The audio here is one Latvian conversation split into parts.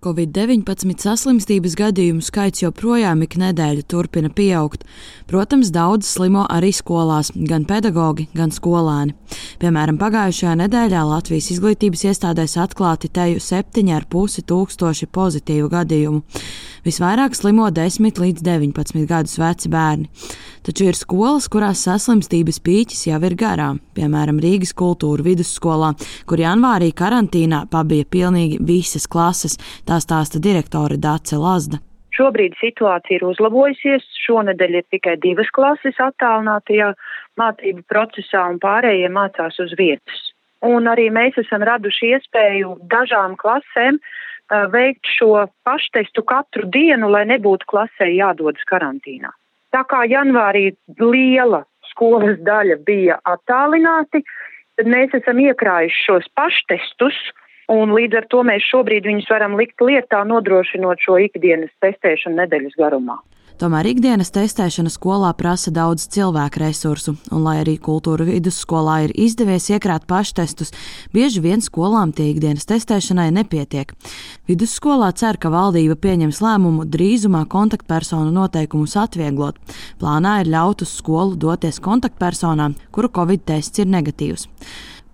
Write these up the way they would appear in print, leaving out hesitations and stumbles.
Covid-19 saslimstības gadījumu skaits joprojām ik nedēļu turpina pieaugt. Protams, daudz slimo arī skolās, gan pedagogi, gan skolēni. Piemēram, pagājušajā nedēļā Latvijas izglītības iestādēs atklāti teju 7,5 tūkstoši pozitīvu gadījumu. Visvairāk slimo 10 līdz 19 gadus veci bērni. Taču ir skolas, kurās saslimstības pīķis jau ir garām. Piemēram, Rīgas kultūra vidusskolā, kur janvārī karantīnā pabija pilnīgi visas klases. Tā stāsta direktore Dace Lazda. Šobrīd situācija ir uzlabojusies. Šonedēļ ir tikai 2 klases attālinātajā mācību procesā un pārējie mācās uz vietas. Un arī mēs esam raduši iespēju dažām klasēm veikt šo paštestu katru dienu, lai nebūtu klasē jādodas karantīnā. Tā kā janvārī liela skolas daļa bija attālināti, tad mēs esam iekrājuši šos paštestus, un līdz ar to mēs šobrīd viņus varam likt lietā, nodrošinot šo ikdienas testēšanu nedēļas garumā. Tomēr ikdienas testēšana skolā prasa daudz cilvēku resursu, un lai arī kultūra vidusskolā ir izdevies iekrāt paštestus, bieži vien skolām tie ikdienas testēšanai nepietiek. Vidusskolā cer, ka valdība pieņems lēmumu drīzumā kontaktpersonu noteikumus atvieglot. Plānā ir ļaut uz skolu doties kontaktpersonām, kuru Covid tests ir negatīvs.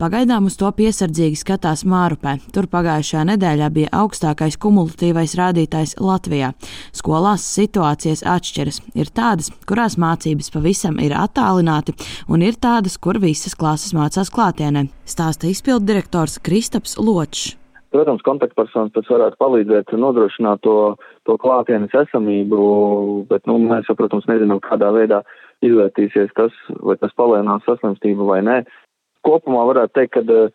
Pagaidām uz to piesardzīgi skatās Mārupē. Tur pagājušajā nedēļā bija augstākais kumulatīvais rādītājs Latvijā. Skolās situācijas atšķiras. Ir tādas, kurās mācības pavisam ir attālināti, un ir tādas, kur visas klases mācās klātienē, stāsta izpilddirektors Kristaps Ločs. Protams, kontaktpersonas pēc varētu palīdzēt nodrošināt to klātienes esamību, bet mēs jau, protams, nezinām, kādā veidā izvērtīsies tas, vai tas palēnās saslimstību vai nē. Kopumā varētu teikt, ka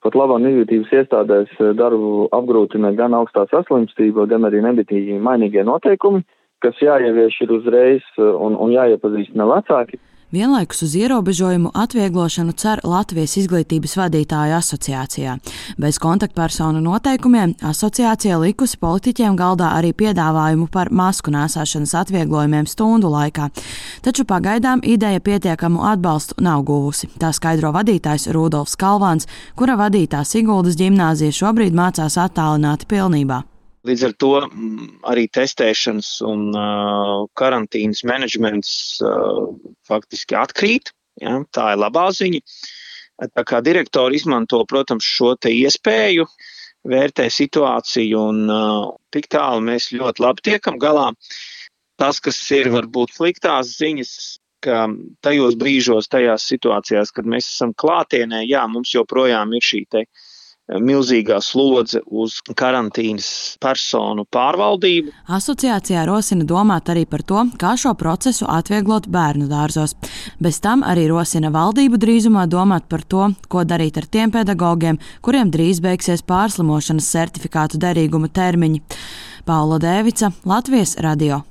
pat labāk izglītības iestādēs darbu apgrūtina gan augstā saslimstība, gan arī nebitīgi mainīgie noteikumi, kas jāievieš ir uzreiz un jāiepazīstina vecāki. Vienlaikus uz ierobežojumu atvieglošanu cer Latvijas izglītības vadītāju asociācijā. Bez kontaktpersonu noteikumiem asociācija likusi politiķiem galdā arī piedāvājumu par masku nēsāšanas atvieglojumiem stundu laikā. Taču pagaidām ideja pietiekamu atbalstu nav guvusi. Tā skaidro vadītājs Rudolfs Kalvāns, kura vadītā Siguldas ģimnāzija šobrīd mācās attālināti pilnībā. Līdz ar to arī testēšanas un karantīnas menedžments faktiski atkrīt. Ja, tā ir labā ziņa. Tā kā direktori izmanto, protams, šo te iespēju, vērtē situāciju un tik tālu mēs ļoti labi tiekam galā. Tas, kas ir varbūt sliktās ziņas, ka tajos brīžos, tajās situācijās, kad mēs esam klātienē, jā, mums joprojām ir šī te milzīgā slodze uz karantīnas personu pārvaldību. Asociācijā rosina domāt arī par to, kā šo procesu atvieglot bērnu dārzos. Bez tam arī rosina valdību drīzumā domāt par to, ko darīt ar tiem pedagogiem, kuriem drīz beigsies pārslimošanas certifikātu derīguma termiņi. Paula Dēvica, Latvijas radio.